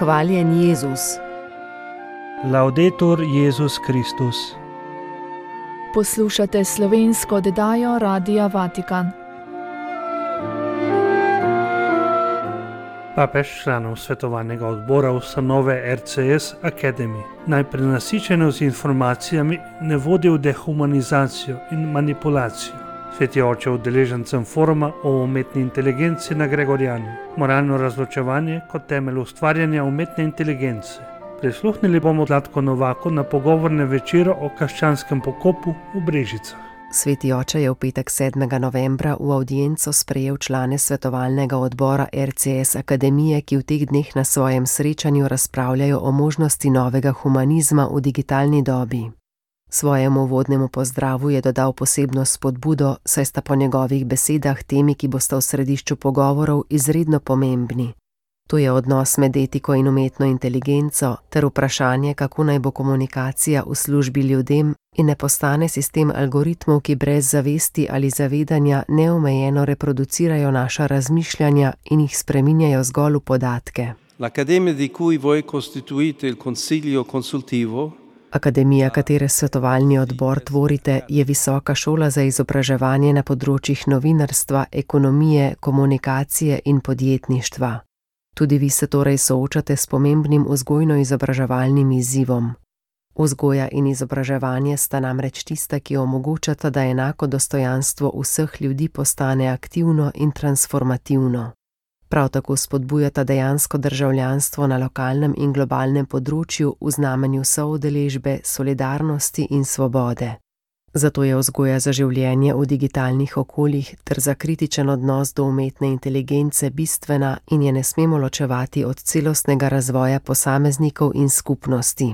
Hvaljen Jezus. Laudetur Jezus Kristus. Poslušate slovensko oddajo Radia Vatikan. Papež članov svetovalnega odbora ustanove RCS Academy naj prenasičenost z informacijami ne vodi v dehumanizacijo in manipulacijo. Sveti oče udeležencem foruma o umetni inteligenci na Gregorjanu. Moralno razločevanje kot temelj ustvarjanja umetne inteligence. Prisluhnili bomo Zlatku Novaku na pogovornem večeru o krščanskem pokopu v Brežicah. Sveti oče je v petek 7. novembra v avdienco sprejel člane svetovalnega odbora RCS Akademije, ki v teh dneh na svojem srečanju razpravljajo o možnosti novega humanizma v digitalni dobi. Svojemu uvodnemu pozdravu je dodal posebno spodbudo, saj sta po njegovih besedah temi, ki bosta v središču pogovorov, izredno pomembni. To je odnos med etiko in umetno inteligenco ter vprašanje, kako naj bo komunikacija v službi ljudem in ne postane sistem algoritmov, ki brez zavesti ali zavedanja neomejeno reproducirajo naša razmišljanja in jih spreminjajo zgolj v podatke. L'Accademia di cui voi costituite il Consiglio Consultivo. Akademija, katere svetovalni odbor tvorite, je visoka šola za izobraževanje na področjih novinarstva, ekonomije, komunikacije in podjetništva. Tudi vi se torej soočate s pomembnim vzgojno-izobraževalnim izzivom. Vzgoja in izobraževanje sta namreč tista, ki omogočata, da enako dostojanstvo vseh ljudi postane aktivno in transformativno. Prav tako spodbujata dejansko državljanstvo na lokalnem in globalnem področju v znamenju soudeležbe, solidarnosti in svobode. Zato je vzgoja za življenje v digitalnih okoljih ter za kritičen odnos do umetne inteligence bistvena in je ne smemo ločevati od celostnega razvoja posameznikov in skupnosti.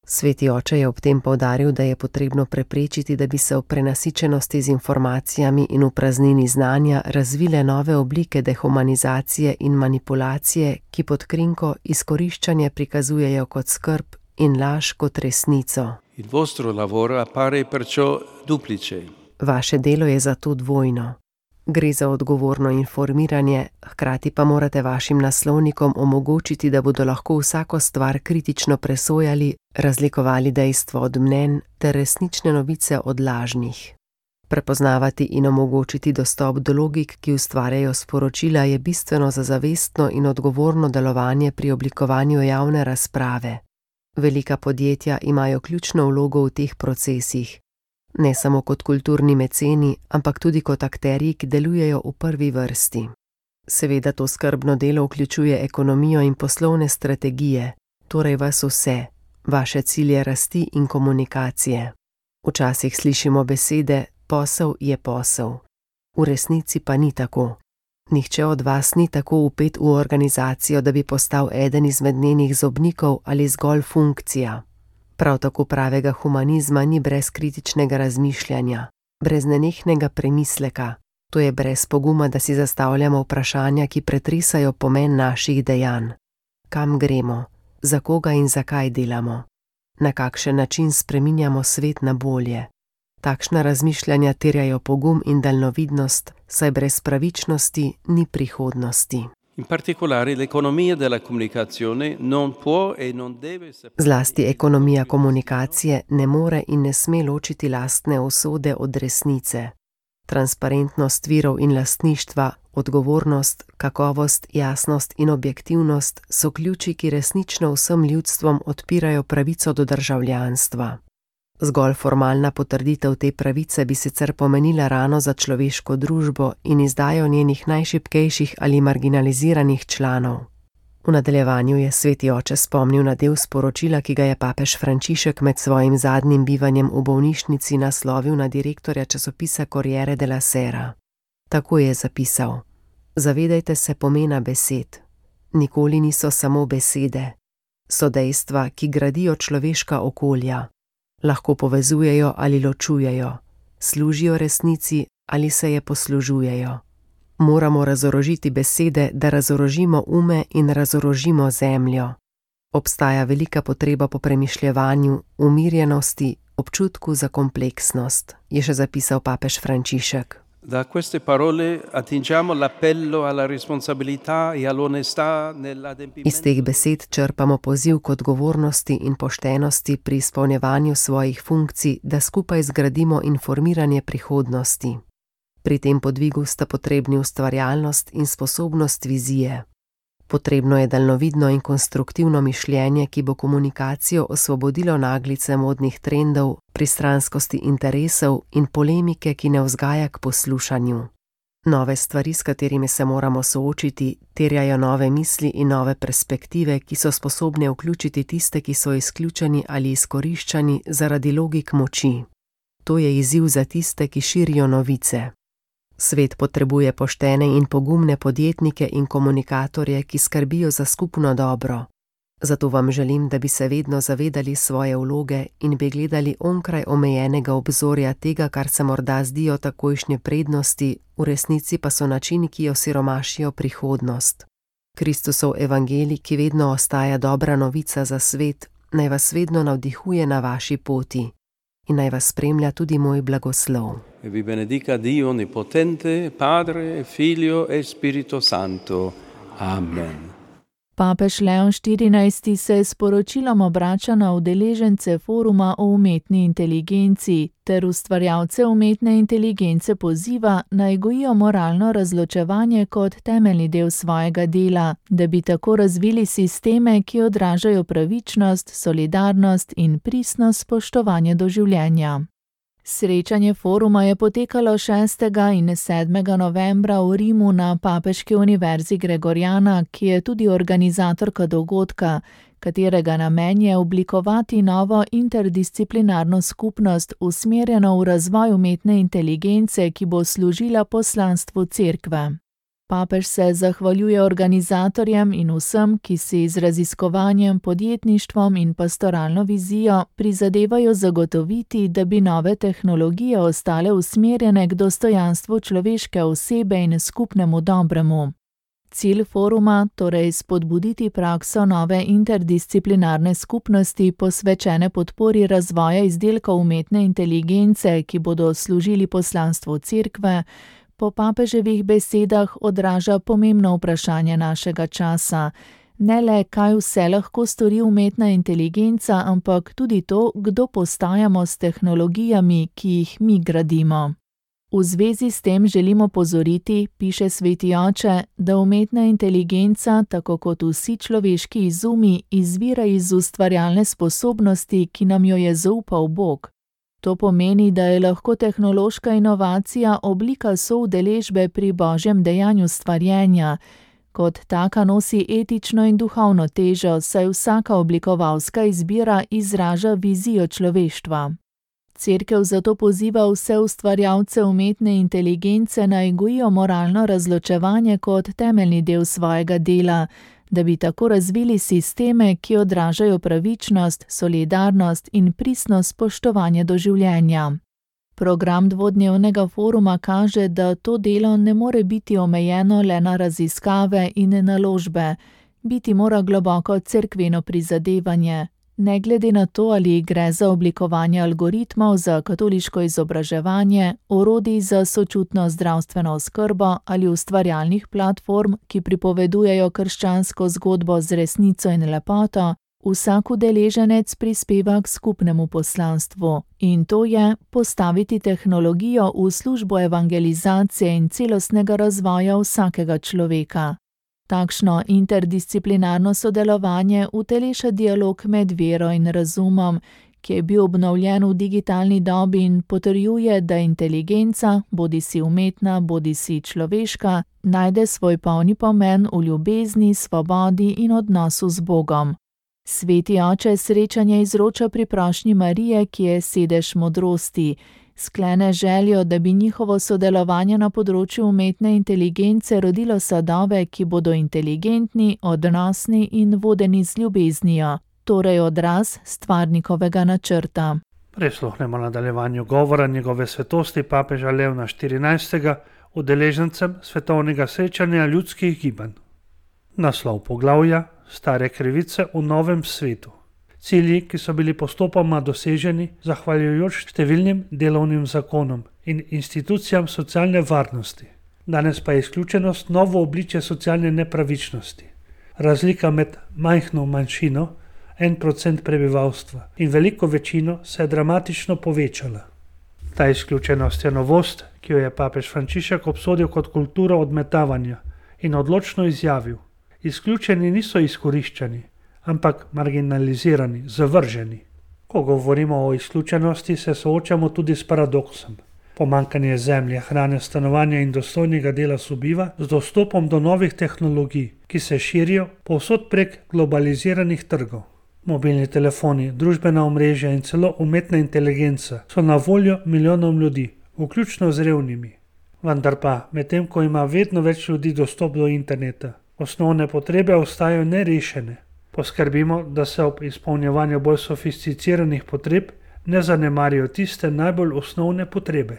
Sveti oče je ob tem poudaril, da je potrebno preprečiti, da bi se v prenasičenosti z informacijami in v praznini znanja razvile nove oblike dehumanizacije in manipulacije, ki pod krinko izkoriščanje prikazujejo kot skrb in laž kot resnico. Il vostro lavoro appare perciò duplice. Vaše delo je zato dvojno. Gre za odgovorno informiranje, hkrati pa morate vašim naslovnikom omogočiti, da bodo lahko vsako stvar kritično presojali, razlikovali dejstvo od mnenj ter resnične novice od lažnih. Prepoznavati in omogočiti dostop do logik, ki ustvarjajo sporočila, je bistveno za zavestno in odgovorno delovanje pri oblikovanju javne razprave. Velika podjetja imajo ključno vlogo v teh procesih. Ne samo kot kulturni meceni, ampak tudi kot akterji, ki delujejo v prvi vrsti. Seveda to skrbno delo vključuje ekonomijo in poslovne strategije, torej vas vse, vaše cilje rasti in komunikacije. Včasih slišimo besede, posel je posel. V resnici pa ni tako. Nihče od vas ni tako vpet v organizacijo, da bi postal eden izmed njenih zobnikov ali zgolj funkcija. Prav tako pravega humanizma ni brez kritičnega razmišljanja, brez nenehnega premisleka, to je brez poguma, da si zastavljamo vprašanja, ki pretresajo pomen naših dejanj. Kam gremo, za koga in zakaj delamo, na kakšen način spreminjamo svet na bolje. Takšna razmišljanja terjajo pogum in daljnovidnost, saj brez pravičnosti ni prihodnosti. In particolare l'economia della comunicazione non può e non deve Zlasti ekonomija komunikacije ne more in ne sme ločiti lastne usode od resnice. Transparentnost virov in lastništva, odgovornost, kakovost, jasnost in objektivnost so ključi, ki resnično vsem ljudstvom odpirajo pravico do državljanstva. Zgolj formalna potrditev te pravice bi sicer pomenila rano za človeško družbo in izdajo njenih najšibkejših ali marginaliziranih članov. V nadaljevanju je sveti oče spomnil na del sporočila, ki ga je papež Frančišek med svojim zadnjim bivanjem v bolnišnici naslovil na direktorja časopisa Corriere della Sera. Tako je zapisal: Zavedajte se pomena besed. Nikoli niso samo besede. So dejstva, ki gradijo človeška okolja. Lahko povezujejo ali ločujejo, služijo resnici ali se je poslužujejo. Moramo razorožiti besede, da razorožimo ume in razorožimo zemljo. Obstaja velika potreba po premišljevanju, umirjenosti, občutku za kompleksnost, je še zapisal papež Frančišek. Da queste parole attingiamo l'appello alla responsabilità e all'onestà Iz nell'adempimento. teh besed črpamo poziv k odgovornosti in poštenosti pri izpolnjevanju svojih funkcij, da skupaj zgradimo informiranje prihodnosti. Pri tem podvigu sta potrebni ustvarjalnost in sposobnost vizije. Potrebno je daljnovidno in konstruktivno mišljenje, ki bo komunikacijo osvobodilo naglice modnih trendov, pristranskosti interesov in polemike, ki ne vzgaja k poslušanju. Nove stvari, s katerimi se moramo soočiti, terjajo nove misli in nove perspektive, ki so sposobne vključiti tiste, ki so izključeni ali izkoriščani zaradi logik moči. To je izziv za tiste, ki širijo novice. Svet potrebuje poštene in pogumne podjetnike in komunikatorje, ki skrbijo za skupno dobro. Zato vam želim, da bi se vedno zavedali svoje vloge in bi gledali onkraj omejenega obzorja tega, kar se morda zdijo takojšnje prednosti, v resnici pa so načini, ki osiromašijo prihodnost. Kristusov evangelij, ki vedno ostaja dobra novica za svet, naj vas vedno navdihuje na vaši poti. In naj vas spremlja tudi moj blagoslov. E vi benedica Dio Onnipotente, Padre, Figlio e Spirito Santo. Amen. Papež Leon XIV se s poročilom obrača na udeležence foruma o umetni inteligenci ter ustvarjalce umetne inteligence poziva, naj gojijo moralno razločevanje kot temeljni del svojega dela, da bi tako razvili sisteme, ki odražajo pravičnost, solidarnost in pristno spoštovanje do življenja. Srečanje foruma je potekalo 6. in 7. novembra v Rimu na Papeški univerzi Gregoriana, ki je tudi organizatorka dogodka, katerega namen je oblikovati novo interdisciplinarno skupnost, usmerjeno v razvoj umetne inteligence, ki bo služila poslanstvu Cerkve. Papež se zahvaljuje organizatorjem in vsem, ki si z raziskovanjem, podjetništvom in pastoralno vizijo prizadevajo zagotoviti, da bi nove tehnologije ostale usmerjene k dostojanstvu človeške osebe in skupnemu dobremu. Cilj foruma, torej spodbuditi prakso nove interdisciplinarne skupnosti posvečene podpori razvoja izdelkov umetne inteligence, ki bodo služili poslanstvu Cerkve, po papeževih besedah odraža pomembno vprašanje našega časa. Ne le, kaj vse lahko stori umetna inteligenca, ampak tudi to, kdo postajamo s tehnologijami, ki jih mi gradimo. V zvezi s tem želimo opozoriti, piše Sveti oče, da umetna inteligenca, tako kot vsi človeški izumi, izvira iz ustvarjalne sposobnosti, ki nam jo je zaupal Bog. To pomeni, da je lahko tehnološka inovacija oblika soudeležbe pri Božjem dejanju stvarjenja. Kot taka nosi etično in duhovno težo, saj vsaka oblikovalska izbira izraža vizijo človeštva. Cerkev zato poziva vse ustvarjalce umetne inteligence naj gojijo moralno razločevanje kot temeljni del svojega dela, da bi tako razvili sisteme, ki odražajo pravičnost, solidarnost in pristno spoštovanje do življenja. Program dvodnevnega foruma kaže, da to delo ne more biti omejeno le na raziskave in naložbe, biti mora globoko cerkveno prizadevanje. Ne glede na to, ali gre za oblikovanje algoritmov za katoliško izobraževanje, orodij za sočutno zdravstveno oskrbo ali ustvarjalnih platform, ki pripovedujejo krščansko zgodbo z resnico in lepoto, vsak udeleženec prispeva k skupnemu poslanstvu, in to je postaviti tehnologijo v službo evangelizacije in celostnega razvoja vsakega človeka. Takšno interdisciplinarno sodelovanje uteleša dialog med vero in razumom, ki je bil obnovljen v digitalni dobi in potrjuje, da inteligenca, bodisi umetna, bodisi človeška, najde svoj polni pomen v ljubezni, svobodi in odnosu z Bogom. Sveti oče srečanje izroča pri prošnji Marije, ki je sedež modrosti. Sklene željo, da bi njihovo sodelovanje na področju umetne inteligence rodilo sadove, ki bodo inteligentni, odnosni in vodeni z ljubeznijo, torej odraz stvarnikovega načrta. Prisluhnemo nadaljevanju govora njegove svetosti papeža Leona XIV. Udeležencem svetovnega srečanja ljudskih gibanj. Naslov poglavja: Stare krivice v novem svetu. Cilji, ki so bili postopoma doseženi zahvaljujoč številnim delovnim zakonom in institucijam socialne varnosti. Danes pa je izključenost novo obličje socialne nepravičnosti. Razlika med majhno manjšino, 1% prebivalstva, in veliko večino se je dramatično povečala. Ta izključenost je novost, ki jo je papež Frančišek obsodil kot kulturo odmetavanja in odločno izjavil: izključeni niso izkoriščani, ampak marginalizirani, zavrženi. Ko govorimo o izključenosti, se soočamo tudi s paradoksom. Pomanjkanje zemlje, hrane, stanovanja in dostojnega dela sobiva z dostopom do novih tehnologij, ki se širijo povsod prek globaliziranih trgov. Mobilni telefoni, družbena omrežja in celo umetna inteligenca so na voljo milijonom ljudi, vključno z revnimi. Vendar pa, medtem ko ima vedno več ljudi dostop do interneta, osnovne potrebe ostajajo nerešene. Poskrbimo, da se ob izpolnjevanju bolj sofisticiranih potreb ne zanemarijo tiste najbolj osnovne potrebe.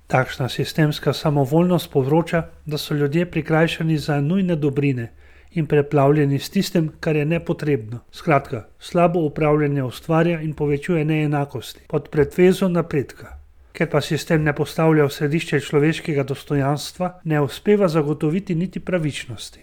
Takšna sistemska samovoljnost povzroča, da so ljudje prikrajšani za nujne dobrine in preplavljeni s tistim, kar je nepotrebno. Skratka, slabo upravljanje ustvarja in povečuje neenakosti pod pretvezo napredka. Ker pa sistem ne postavlja v središče človeškega dostojanstva, ne uspeva zagotoviti niti pravičnosti.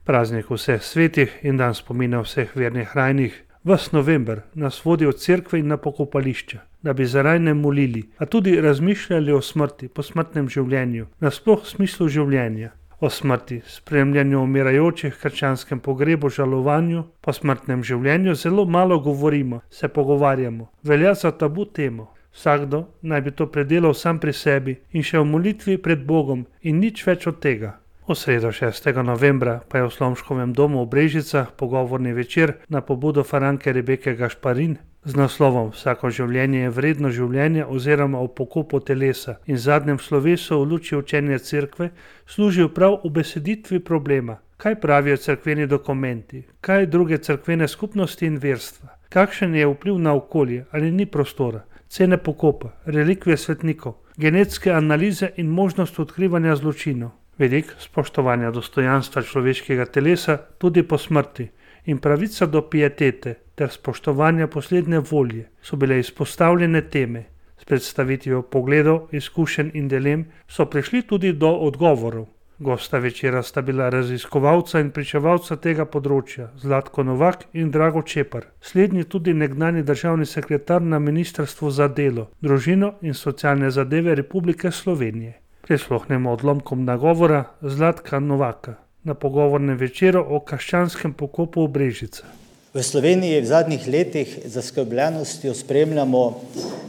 Praznik vseh svetih in dan spomina vseh vernih rajnih ves november nas vodi od cerkve in na pokopališča, da bi za rajne molili, a tudi razmišljali o smrti, posmrtnem življenju, nasploh smislu življenja, o smrti, spremljanju umirajočih, krščanskem pogrebu, žalovanju, posmrtnem življenju zelo malo govorimo, se pogovarjamo, velja za tabu temo. Vsakdo naj bi to predelal sam pri sebi in še v molitvi pred Bogom in nič več od tega. V sredo 6. novembra pa je v Slomškovem domu v Brežicah pogovorni večer na pobudo Franke Rebeke Gašparin z naslovom Vsako življenje je vredno življenja oziroma o pokopu telesa in zadnjem slovesu v luči učenja cerkve služil prav ubeseditvi problema. Kaj pravijo cerkveni dokumenti, kaj druge cerkvene skupnosti in verstva, kakšen je vpliv na okolje ali ni prostora, cene pokopa, relikvije svetnikov, genetske analize in možnost odkrivanja zločinov. Vedik spoštovanja dostojanstva človeškega telesa tudi po smrti in pravica do pietete ter spoštovanja poslednje volje so bile izpostavljene teme. S predstavitvijo pogledov, izkušenj in dilem so prišli tudi do odgovorov. Gosta večera sta bila raziskovalca in pričevalca tega področja Zlatko Novak in Drago Čepar, slednji tudi nekdanji državni sekretar na Ministrstvu za delo, družino in socialne zadeve Republike Slovenije. Prisluhnemo odlomkom nagovora Zlatka Novaka na pogovornem večeru o krščanskem pokopu v Brežicah. V Sloveniji v zadnjih letih z zaskrbljenostjo spremljamo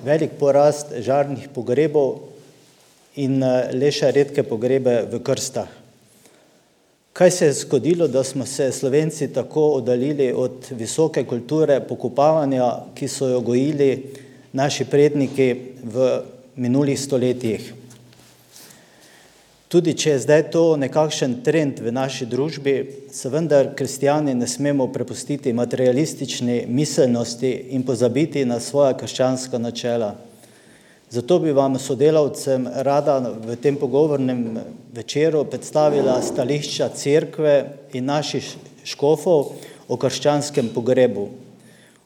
velik porast žarnih pogrebov in le še redke pogrebe v krstah. Kaj se je zgodilo, da smo se Slovenci tako oddaljili od visoke kulture pokopavanja, ki so jo gojili naši predniki v minulih stoletjih? Tudi če je zdaj to nekakšen trend v naši družbi, se vendar kristjani ne smemo prepustiti materialistični miselnosti in pozabiti na svoja krščanska načela. Zato bi vam sodelavcem rada v tem pogovornem večeru predstavila stališča cerkve in naših škofov o krščanskem pogrebu.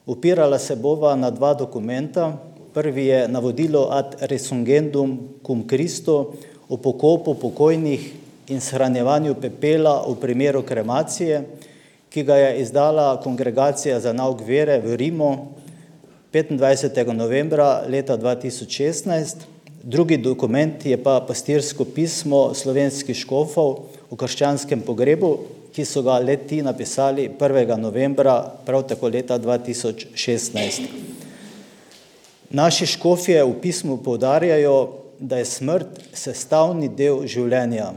Opirala se bova na dva dokumenta. Prvi je navodilo ad resurgendum cum Christo o pokopu pokojnih in shranjevanju pepela v primeru kremacije, ki ga je izdala Kongregacija za nauk vere v Rimu 25. novembra leta 2016. Drugi dokument je pa pastirsko pismo slovenskih škofov o krščanskem pogrebu, ki so ga le-ti napisali 1. novembra, prav tako leta 2016. Naši škofje v pismu poudarjajo, da je smrt sestavni del življenja.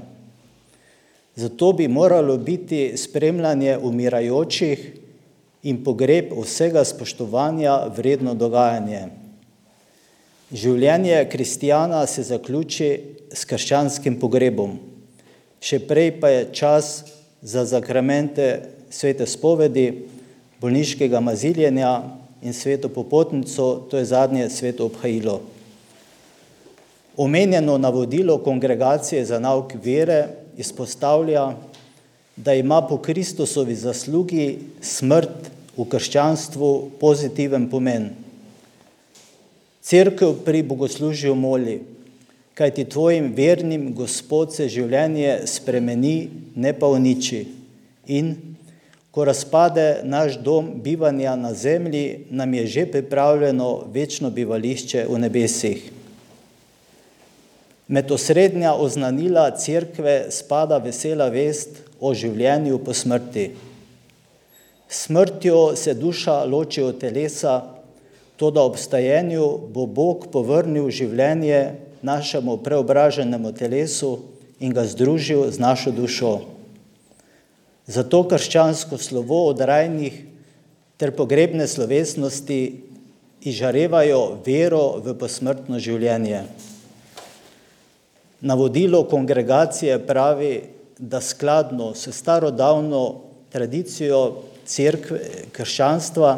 Zato bi moralo biti spremljanje umirajočih in pogreb vsega spoštovanja vredno dogajanje. Življenje kristjana se zaključi s krščanskim pogrebom. Še prej pa je čas za zakramente svete spovedi, bolniškega maziljenja in sveto popotnico, to je zadnje sveto obhajilo. Omenjeno navodilo Kongregacije za nauk vere izpostavlja, da ima po Kristusovi zaslugi smrt v krščanstvu pozitiven pomen. Cerkev pri bogoslužju moli, kajti tvojim vernim Gospod se življenje spremeni, ne pa uniči. In ko razpade naš dom bivanja na zemlji, nam je že pripravljeno večno bivališče v nebesih. Med osrednja oznanila cerkve spada vesela vest o življenju po smrti. S smrtjo se duša loči od telesa, toda ob stajenju bo Bog povrnil življenje našemu preobraženemu telesu in ga združil z našo dušo. Zato krščansko slovo od rajnih ter pogrebne slovesnosti izžarevajo vero v posmrtno življenje. Navodilo kongregacije pravi, da skladno s starodavno tradicijo cerkve, krščanstva,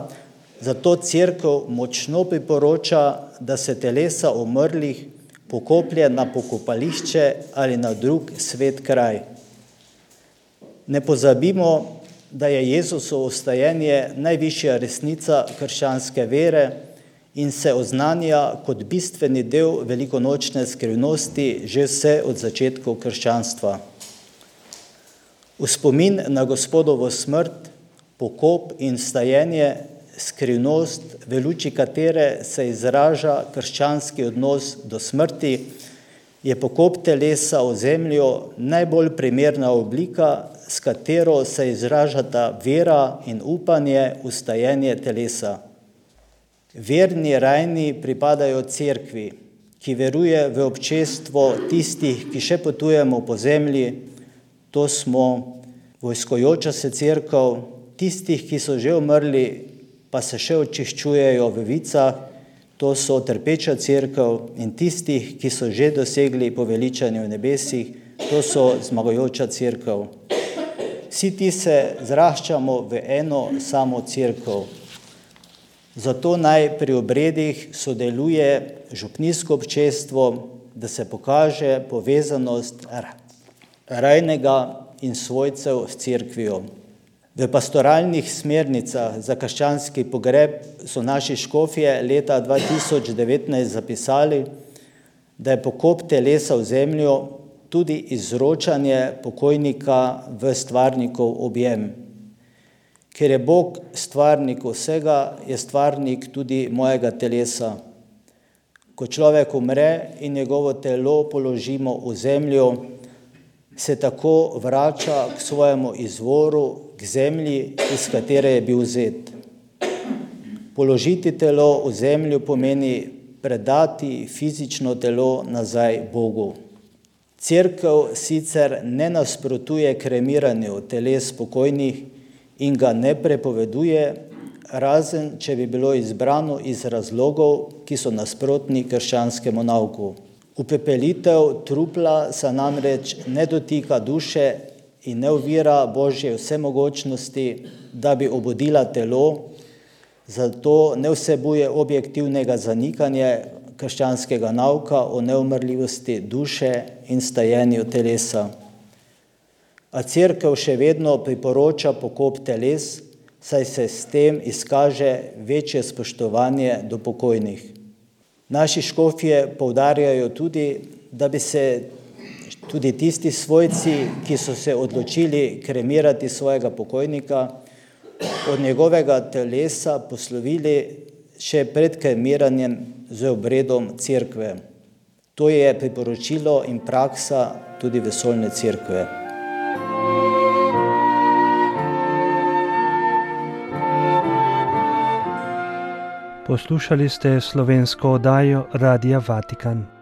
zato cerkev močno priporoča, da se telesa umrlih pokoplje na pokopališče ali na drug svet kraj. Ne pozabimo, da je Jezusovo vstajenje najvišja resnica krščanske vere in se oznanja kot bistveni del velikonočne skrivnosti že vse od začetkov krščanstva. V spomin na Gospodovo smrt, pokop in vstajenje, skrivnost, v luči katere se izraža krščanski odnos do smrti, je pokop telesa v zemljo najbolj primerna oblika, s katero se izražata vera in upanje v vstajenje telesa. Verni rajni pripadajo cerkvi, ki veruje v občestvo tistih, ki še potujemo po zemlji, to smo vojskojoča se cerkev, tistih, ki so že umrli, pa se še očiščujejo v vicah, to so trpeča cerkev, in tistih, ki so že dosegli poveličanje v nebesih, to so zmagujoča cerkev. Vsi ti se zraščamo v eno samo cerkev. Zato naj pri obredih sodeluje župnijsko občestvo, da se pokaže povezanost rajnega in svojcev s cerkvijo. V pastoralnih smernicah za krščanski pogreb so naši škofje leta 2019 zapisali, da je pokop telesa v zemljo tudi izročanje pokojnika v stvarnikov objem. Ker je Bog stvarnik vsega, je stvarnik tudi mojega telesa. Ko človek umre in njegovo telo položimo v zemljo, se tako vrača k svojemu izvoru, k zemlji, iz katere je bil vzet. Položiti telo v zemljo pomeni predati fizično telo nazaj Bogu. Cerkev sicer ne nasprotuje kremiranju teles pokojnih in ga ne prepoveduje, razen če bi bilo izbrano iz razlogov, ki so nasprotni krščanskemu nauku. Upepelitev trupla se namreč ne dotika duše in ne ovira Božje vsemogočnosti, da bi obudila telo, zato ne vsebuje objektivnega zanikanja krščanskega nauka o neumrljivosti duše in stajenju telesa. A cerkev še vedno priporoča pokop teles, saj se s tem izkaže večje spoštovanje do pokojnih. Naši škofje poudarjajo tudi, da bi se tudi tisti svojci, ki so se odločili kremirati svojega pokojnika, od njegovega telesa poslovili še pred kremiranjem z obredom cerkve. To je priporočilo in praksa tudi vesoljne cerkve. Poslušali ste slovensko oddajo Radia Vatikan.